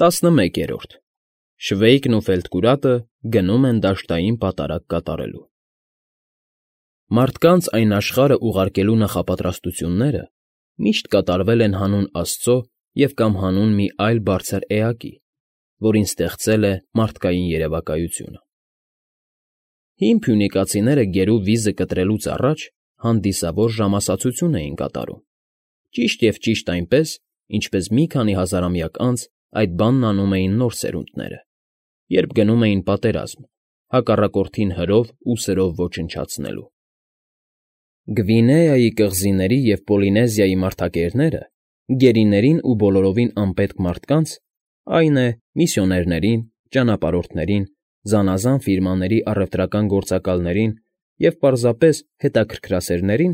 11-րդ Շվեյկն ու Ֆելտկուրատը գնում են դաշտային պատարագ կատարելու։ Մարդկանց այն աշխարհը ուղարկելու նախապատրաստությունները միշտ կատարվել են հանուն Աստծո և կամ հանուն մի այլ բարձր էակի, որին ստեղծել է մարդկային երևակայությունը։ Հին փյունիկացիները գերու վիզը կտրելուց առաջ հանդիսավոր ժամասացություն էին կատարում, ճիշտ և ճիշտ այնպես, ինչպես մի քանի հազարամյակ անց այդ բանն անում էին նոր սերունդները, երբ գնում էին պատերազմ, հակառակորդին հրով ու սրով ոչնչացնելու։ Գվինեայի կղզիների և Պոլինեզիայի մարդակերները գերիներին ու բոլորովին անպետք մարդկանց, այն է, միսիոներներին, ճանապարհորդներին, զանազան ֆիրմաների առևտրական գործակալներին և պարզապես հետաքրքրասերներին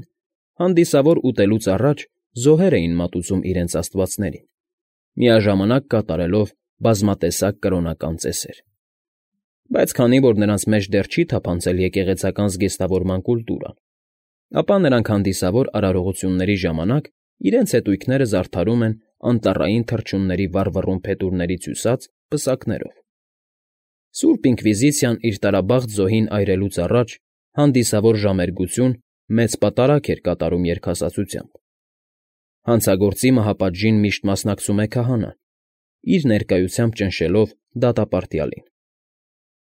հանդիսավոր ուտելուց առաջ զոհեր էին մատուցում իրենց աստվածներին, միաժամանակ կատարելով բազմատեսակ կրոնական ծեսեր։ Բայց քանի որ նրանց մեջ դեռ չի թափանցել եկեղեցական զգեստավորման կուլտուրան, ապա նրանք հանդիսավոր արարողությունների ժամանակ իրենց հետույքները զարդարում են անտառային թռչունների վառվռուն փետուրներից հյուսած պսակներով։ Սուրբ Ինկվիզիցիան իր տարաբաղտ զոհին այրելուց առաջ հանդիսավոր ժամերգություն մեծ պատարագ էր կատարում երգասացությամբ։ Հանցագործի մահապատժին միշտ մասնակցում է քահանան, իր ներկայությամբ ճնշելով դատապարտյալին։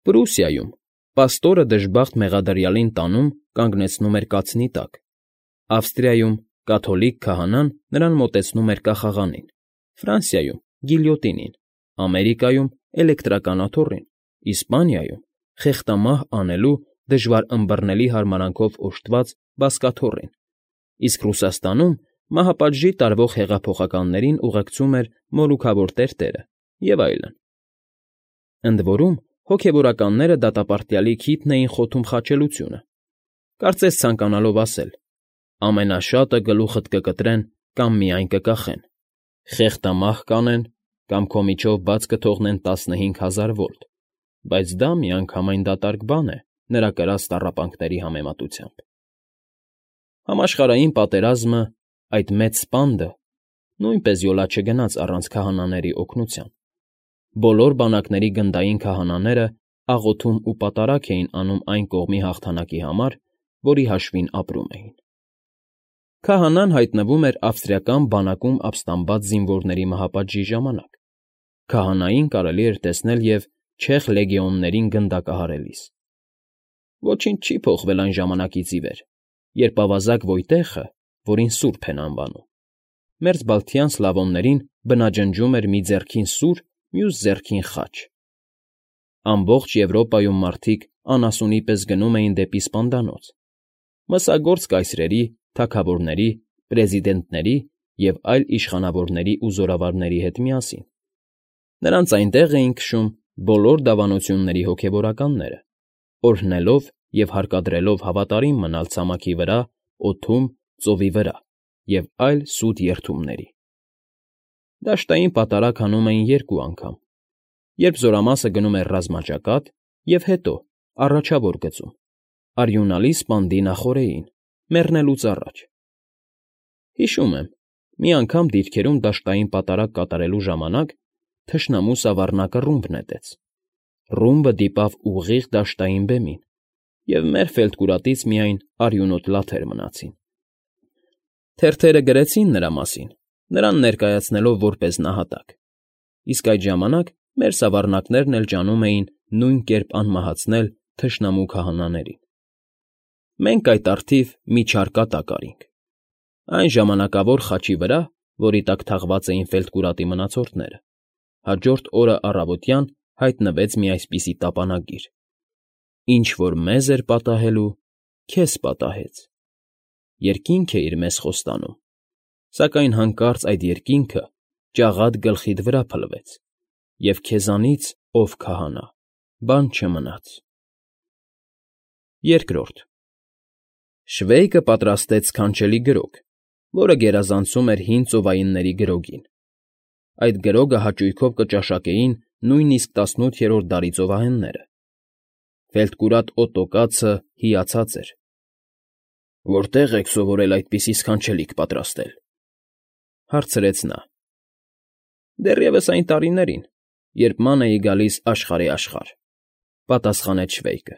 Պրուսիայում պաստորը դժբախտ մեղադրյալին տանում կանգնեցնում էր կացնի տակ, Ավստրիայում կաթոլիկ քահանան նրան մոտեցնում էր կախաղանին, Ֆրանսիայում՝ գիլյոտինին, Ամերիկայում՝ էլեկտրական աթոռին, Իսպանիայում՝ խեղդամահ անելու դժվար ըմբռնելի հարմարանքով օժտված բազկաթոռին, իսկ Ռուսաստանում մահապատժի տարվող հեղափոխականներին ուղեկցում էր մորուքավոր տերտերը և այլն։ Ընդ որում, հոգևորականները դատապարտյալի քիթն էին խոթում խաչելությունը, կարծես ցանկանալով ասել. ամենաշատը գլուխդ կկտրեն կամ միայն կկախեն, խեղդամահ կանեն կամ քո միջով բաց կթողնեն 15,000 վոլտ, բայց դա միանգամայն դատարկ բան է նրա կրած տառապանքների համեմատությամբ։ Համաշխարհային պատերազմը, այդ մեծ սպանդը, նույնպես յոլա չգնաց առանց քահանաների օգնության։ Բոլոր բանակների գնդային քահանաները աղոթում ու պատարագ էին անում այն կողմի հաղթանակի համար, որի հաշվին ապրում էին։ Քահանան հայտնվում էր ավստրիական բանակում ապստամբած զինվորների մահապատժի ժամանակ։ Քահանային կարելի էր տեսնել և չեխ լեգեոններին գնդակահարելիս։ Ոչինչ չի փոխվել այն ժամանակից ի վեր, երբ ավազակ Վոյտեխը, որին սուրբ են անվանում, մերձբալթյան սլավոններին բնաջնջում էր մի ձեռքին սուր, մյուս ձեռքին խաչ։ Ամբողջ Եվրոպայում մարդիկ անասունի պես գնում էին դեպի սպանդանոց՝ մսագործ կայսրերի, թագավորների, պրեզիդենտների և այլ իշխանավորների ու զորավարների հետ միասին։ Նրանց այնտեղ էին քշում բոլոր դավանությունների հոգևորականները, օրհնելով և հարկադրելով հավատարիմ մնալ ցամաքի վրա, օդում, ծովի վրա և այլ սուտ երթումների։ Դաշտային պատարագ հանում էին երկու անգամ, երբ զորամասը գնում էր ռազմաճակատ և հետո, առաջավոր գծում, արյունալի սպանդի նախօրեին, մեռնելուց առաջ։ Հիշում եմ, մի անգամ դիրքերում դաշտային պատարագ կատարելու ժամանակ թշնամու սավառնակը ռումբ նետեց։ Ռումբը դիպավ ուղիղ դաշտային բեմին, և մեր Ֆելտկուրատից միայն արյունոտ լաթեր մնացին։ Թերթերը գրեցին նրա մասին, նրան ներկայացնելով որպես նահատակ, իսկ այդ ժամանակ մեր սավառնակներն էլ ջանում էին նույն կերպ անմահացնել թշնամու քահանաներին։ Մենք այդ առթիվ մի չար կատակ արինք։ Այն ժամանակավոր խաչի վրա, որի տակ թաղված էին Ֆելտկուրատի մնացորդները, հաջորդ օրը առավոտյան հայտնվեց մի այսպիսի տապանագիր. «Ինչ որ մեզ էր պատահելու, քեզ պատահեց»։ Երկինք է իր մեզ խոստանում, սակայն հանկարծ այդ երկինքը ճաղատ գլխիդ վրա փլվեց, և քեզանից, ով քահանա, բան չմնաց։ Շվեյկը պատրաստեց սքանչելի գրոգ, որը գերազանցում էր հին ծովայինների գրոգին։ Այդ գրոգը հաճույքով կճաշակեին նույնիսկ 18-րդ դարի ծովահենները։ Ֆելտկուրատ Օտոկացը հիացած էր։ «Որտե՞ղ եք սովորել այդպիսի սքանչելիք պատրաստել,֊ հարցրեց նա։ «Դեռևս այն տարիներին, երբ ման էի գալիս աշխարհի աշխարհ,֊ պատասխանեց Շվեյկը։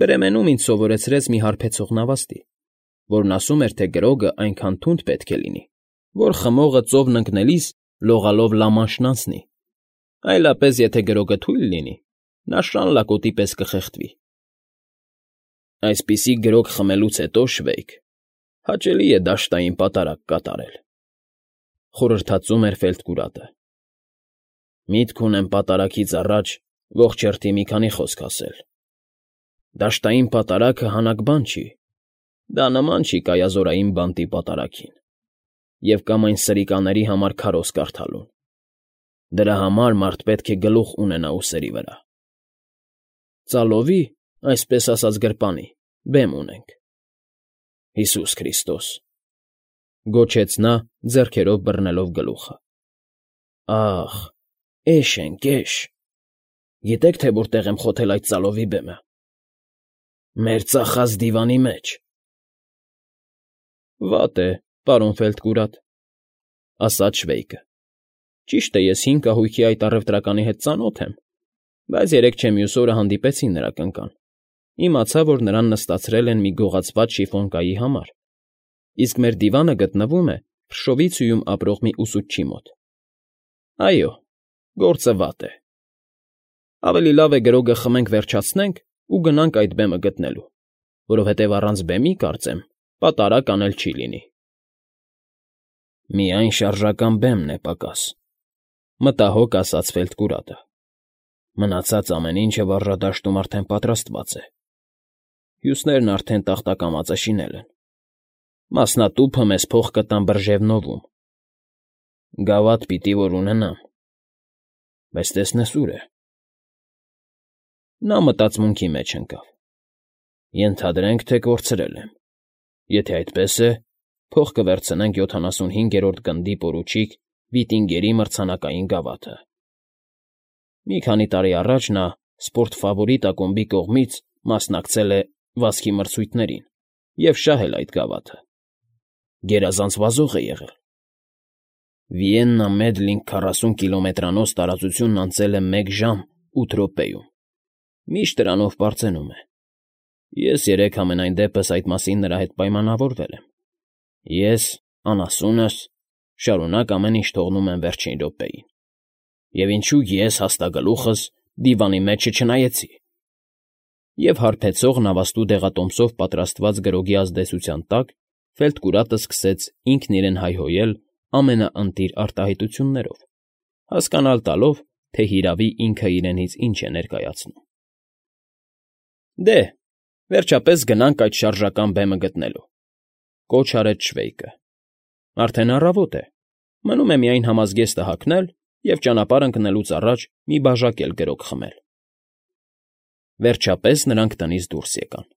Բրեմենում ինձ սովորեցրեց մի հարբեցող նավաստի, որն ասում էր, թե գրոգը այնքան թունդ պետք է լինի, որ խմողը ծովն ընկնելիս լողալով Լամանշն անցնի, այլապես եթե գրոգը թույլ լինի, նա շան լակոտի պես կխեղդվի։ Այսպիսի գրոգ խմելուց հետո, Շվեյկ, հաճելի է դաշտային պատարագ կատարել,֊ խորհրդածում էր Ֆելտկուրատը։ Միտք ունեմ պատարագից առաջ ողջ հերթի մի քանի խոսք ասել։ Դաշտային պատարագը հանակ բան չի, դա նման չի կայազորային բանտի պատարագին, և կամ այն սրիկաների համար քարոզ կարդալուն։ Դրա համար մարդ պետք է գլուխ ունենա ուսերի վրա։ Ծալովի, այսպես ասած գրպանի, բեմ ունենք։ Հիսուս Քրիստոս,֊ գոչեց նա, ձեռքերով բռնելով գլուխը։ Ախ, էշ ենք, էշ… Գիտեք, թե որտեղ եմ խոթել այդ ծալովի բեմը։ Մեր ծախած դիվանի մեջ։ Վատ է, պարոն Ֆելտկուրատ,֊ ասաց Շվեյկը։ Ճիշտ է, ես հին կահույքի այդ առևտրականի հետ ծանոթ եմ, բայց երեկ չէ մյուս օրը հանդիպեցի նրա կնկան, իմացա, որ նրան նստացրել են մի գողացված շիֆոնակայի համար, իսկ մեր դիվանը գտնվում է Փրշովիցիում ապրող մի ուսուցչի մոտ։ Այո, գործը վատ է։ Ավելի լավ է գրոգը խմենք վերջացնենք ու գնանք այդ բեմը գտնելու, որովհետև առանց բեմի, կարծեմ, պատարագ անել չի լինի։ Միայն շարժական բեմն է պակաս,֊ մտահոգ ասաց Ֆելտկուրատը։ Մնացած ամեն ինչը վառժադաշտում արդեն պատրաստված է։ Հյուսներն արդեն տախտակամածը շինել են։ Մասնատուփը մեզ փող կտան Բրժևնովում։ Գավաթ պիտի որ ունենամ, բայց տեսնես ուր է։ Նա մտածմունքի մեջ ընկավ։ Ենթադրենք, թե կորցրել եմ։ Եթե այդպես է, փող կվերցնենք 75-րդ գնդի պորուչիկ Վիտինգերի մրցանակային գավաթը։ Մի քանի տարի առաջ նա Սպորտ Ֆավորիտ ակումբի կողմից մասնակցել է վազքի մրցույթներին և շահել այդ գավաթը։ Գերազանց վազող է եղել։ Վիեննա Մեդլինգ 40 կիլոմետրանոց տարածությունն անցել է 1 ժամ 8 րոպեում։ Միշտ դրանով պարծենում է։ Ես երեկ համենայն դեպս այդ մասին նրա հետ պայմանավորվել եմ։ Ես, անասունս, շարունակ ամեն ինչ թողնում եմ վերջին րոպեին։ Եվ ինչու ես հաստագլուխս դիվանի մեջը չնայեցի։ Եվ հարբեցող նավաստու դեղատոմսով պատրաստված գրոգի ազդեցության տակ Ֆելտկուրատը սկսեց ինքն իրեն հայհոյել ամենաընտիր արտահայտություններով, հասկանալ տալով, թե հիրավի ինքը իրենից ինչ է ներկայացնում։ Դե, վերջապես գնանք այդ շարժական բեմը գտնելու,֊ կոչ արեց Շվեյկը։ Արդեն առավոտ է, մնում է միայն համազգեստը հագնել և ճանապարհ ընկնելուց առաջ մի բաժակ էլ գրոգ խմել։ Վերջապես նրանք տնից դուրս եկան։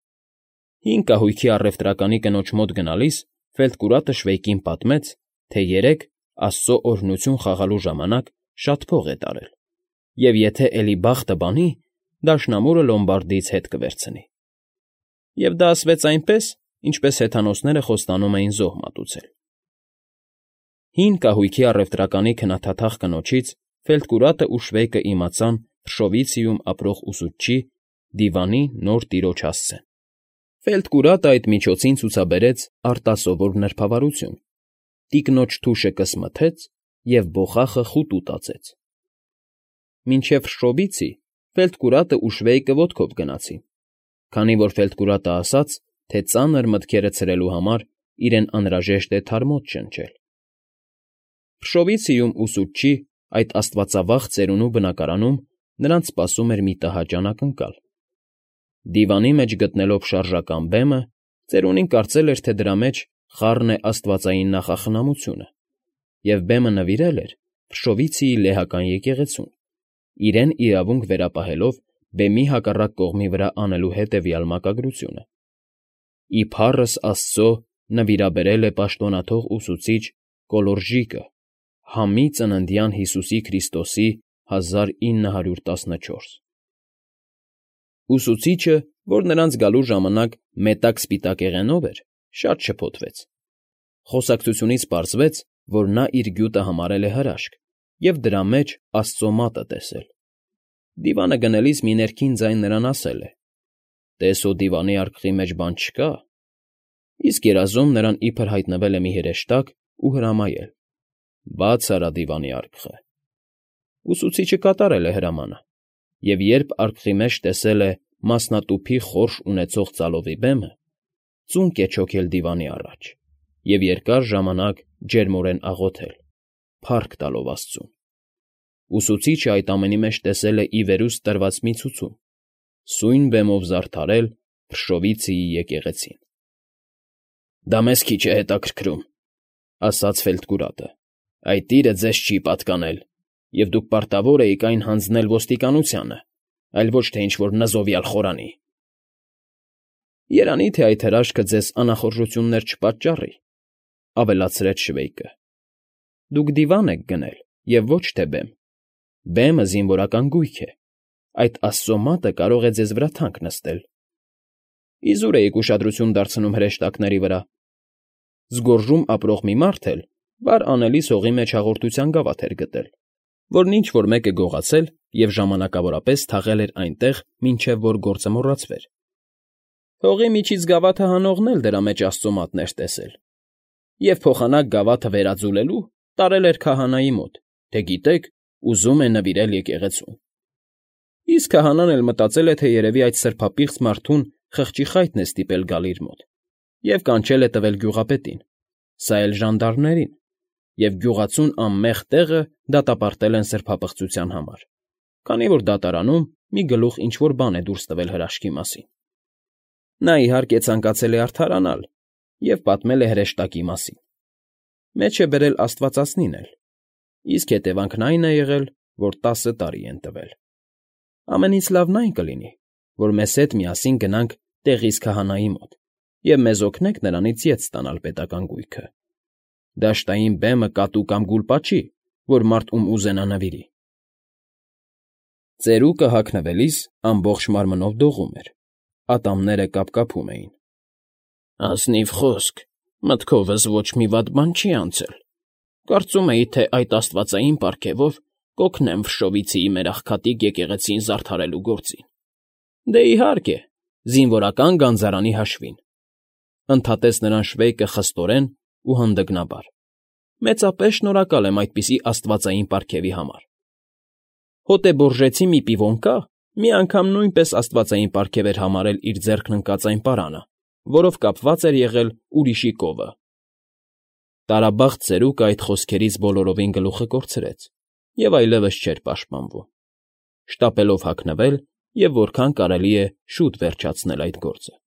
Հին կահույքի առևտրականի կնոջ մոտ գնալիս Ֆելտկուրատը Շվեյկին պատմեց, թե երեկ Աստծո օրհնություն խաղալու ժամանակ շատ փող է տարել, և եթե էլի բախտը բանի, դաշնամուրը Լոմբարդիից հետ կվերցնի։ Եվ դա ասվեց այնպես, ինչպես հեթանոսները խոստանում էին զոհ մատուցել։ Հին կահույքի առևտրականի քննադատախ կնոջից Ֆելտկուրատը ու Շվեյկը իմացան Փրշովիցիում ապրող ուսուցչի դիվանի նոր տիրոջ հասցեն։ Ֆելտկուրատը այդ միջոցին ցուցաբերեց արտասովոր նրբավարություն, տիկնոջ թուշը կսմթեց և բոխախը խուտ ուտածեց։ Մինչև Փրշովիցի Ֆելտկուրատը ու Շվեյկը ոտքով գնացին, քանի որ Ֆելտկուրատը ասաց, թե ծանր մտքերը ցրելու համար իրեն անհրաժեշտ է թարմոց շնչել։ Փրշովիցիում ուսուցչի այդ աստվածավախ ծերունու բնակարանում նրանց սպասում էր մի տհաճ անակնկալ։ Դիվանի մեջ գտնելով շարժական բեմը, ծերունին կարծել էր, թե դրա մեջ խառն է աստվածային նախախնամությունը, և բեմը նվիրել էր Փրշովիցիի լեհական եկեղեցուն, իրեն իրավունք վերապահելով բեմի հակառակ կողմի վրա անելու հետևյալ մակագրությունը. «Ի փառս Աստծո նվիրաբերել է պաշտոնաթող ուսուցիչ Կոլորժիկը համի ծննդյան Հիսուսի Քրիստոսի 1914»։ Ուսուցիչը, որ նրանց գալու ժամանակ մետակ սպիտակեղենով էր, շատ շփոթվեց։ Խոսակցությունից պարզվեց, որ նա իր գյուտը համարել է հրաշք և դրա մեջ աստծո մատը տեսել։ Դիվանը գնելիս մի ներքին ձայն նրան ասել է. «Տես հո դիվանի արկղի մեջ բան չկա»։ Իսկ երազում նրան իբր հայտնվել է մի հրեշտակ ու հրամայել. «Բաց արա դիվանի արկղը»։ Ուսուցիչը կատարել է հրամանը, և երբ արկղի մեջ տեսել է մասնատուփի խորշ ունեցող ծալովի բեմը, ծունկ է չոքել դիվանի առաջ և երկար ժամանակ ջերմորեն աղոթել, փառք տալով աստծուն։ Ուսուցիչը այդ ամենի մեջ տեսել է ի վերուստ տրված մի ցուցում՝ սույն բեմով զարդարել Փրշովիցիի եկեղեցին։ «Դա մեզ քիչ է հետաքրքրում,֊ ասաց Ֆելդկուրատը,֊ այդ իրը ձեզ չի պատկանել, և դուք պարտավոր էիք այն հանձնել ոստիկանությանը, այլ ոչ թե ինչ֊որ նզովյալ խորանի»։ «Երանի թե այդ հրաշքը ձեզ անախորժություններ չպատճառի,֊ ավելացրեց շվեյկը,֊ դուք դիվան եք գնել և ոչ թե բեմ։ Բեմը զինվորական գույք է, այդ աստծո մատը կարող է ձեզ վրա թանկ նստել։ Իզուր էիք ուշադրություն դարձնում հրեշտակների վրա։ Զգոռժում ապրող մի մարդ էլ վար անելիս հողի մեջ հաղորդության գավաթ էր գտել, որն ինչ֊որ մեկը գողացել և ժամանակավորապես թաղել էր այնտեղ, մինչև որ գործը մոռացվեր։ Հողի միջից գավաթը հանողն էլ դրա մեջ աստծո մատն էր տեսել և փոխանակ գավաթը վերաձուլելու տարել էր քահանայի մոտ, թե գիտեք, ուզում է նվիրել եկեղեցուն։ Իսկ քահանան էլ մտածել է, թե երևի այդ սրբապիղծ մարդուն խղճի խայտն է ստիպել գալ իր մոտ և կանչել է տվել գյուղապետին, սա էլ ժանդարմներին, և գյուղացուն անմեղ տեղը դատապարտել են սրբապղծության համար, քանի որ դատարանում մի գլուխ ինչ֊որ բան է դուրս տվել հրաշքի մասին։ Նա, իհարկե, ցանկացել է արդարանալ և պատմել է հրեշտակի մասին։ Մեջ է բերել աստվածածնին էլ, իսկ հետևանքն այն է եղել, որ 10 տարի են տվել։ Ամենից լավն այն կլինի, որ մեզ հետ միասին գնանք տեղիս քահանայի մոտ և մեզ օգնեք նրանից ետ ստանալ պետական գույքը։ Դաշտային բեմը կատու կամ գուլպա չի, որ մարդ ում ուզենա նվիրի։ Ծերուկը հագնվելիս ամբողջ մարմնով դողում էր, ատամները կապկապում էին։ «Ազնիվ խոսք, մտքովս ոչ մի վատ բան չի անցել։ Կարծում էի, թե այդ աստվածային պարգևով կօգնեմ Ֆրշովիցիի մեր աղքատիկ եկեղեցին զարդարելու գործին։ Դե, իհարկե, զինվորական գանձարանի հաշվին,֊ ընդհատեց նրան շվեյկը խստորեն ու հանդգնաբար։֊ Մեծապես շնորհակալ եմ այդպիսի աստվածային պարգևի համար։ Հոտեբորժեցի մի պիվոն կա, մի անգամ նույնպես աստվածային պարգև էր համարել իր ձեռքն ընկած այն պարանը, որով կապված էր եղել ուրիշի կովը։ Տարաբախտ ծերուկը այդ խոսքերից բոլորովին գլուխը կորցրեց և այլևս չէր պաշտպանվում, շտապելով հագնվել և որքան կարելի է շուտ վերջացնել այդ գործը։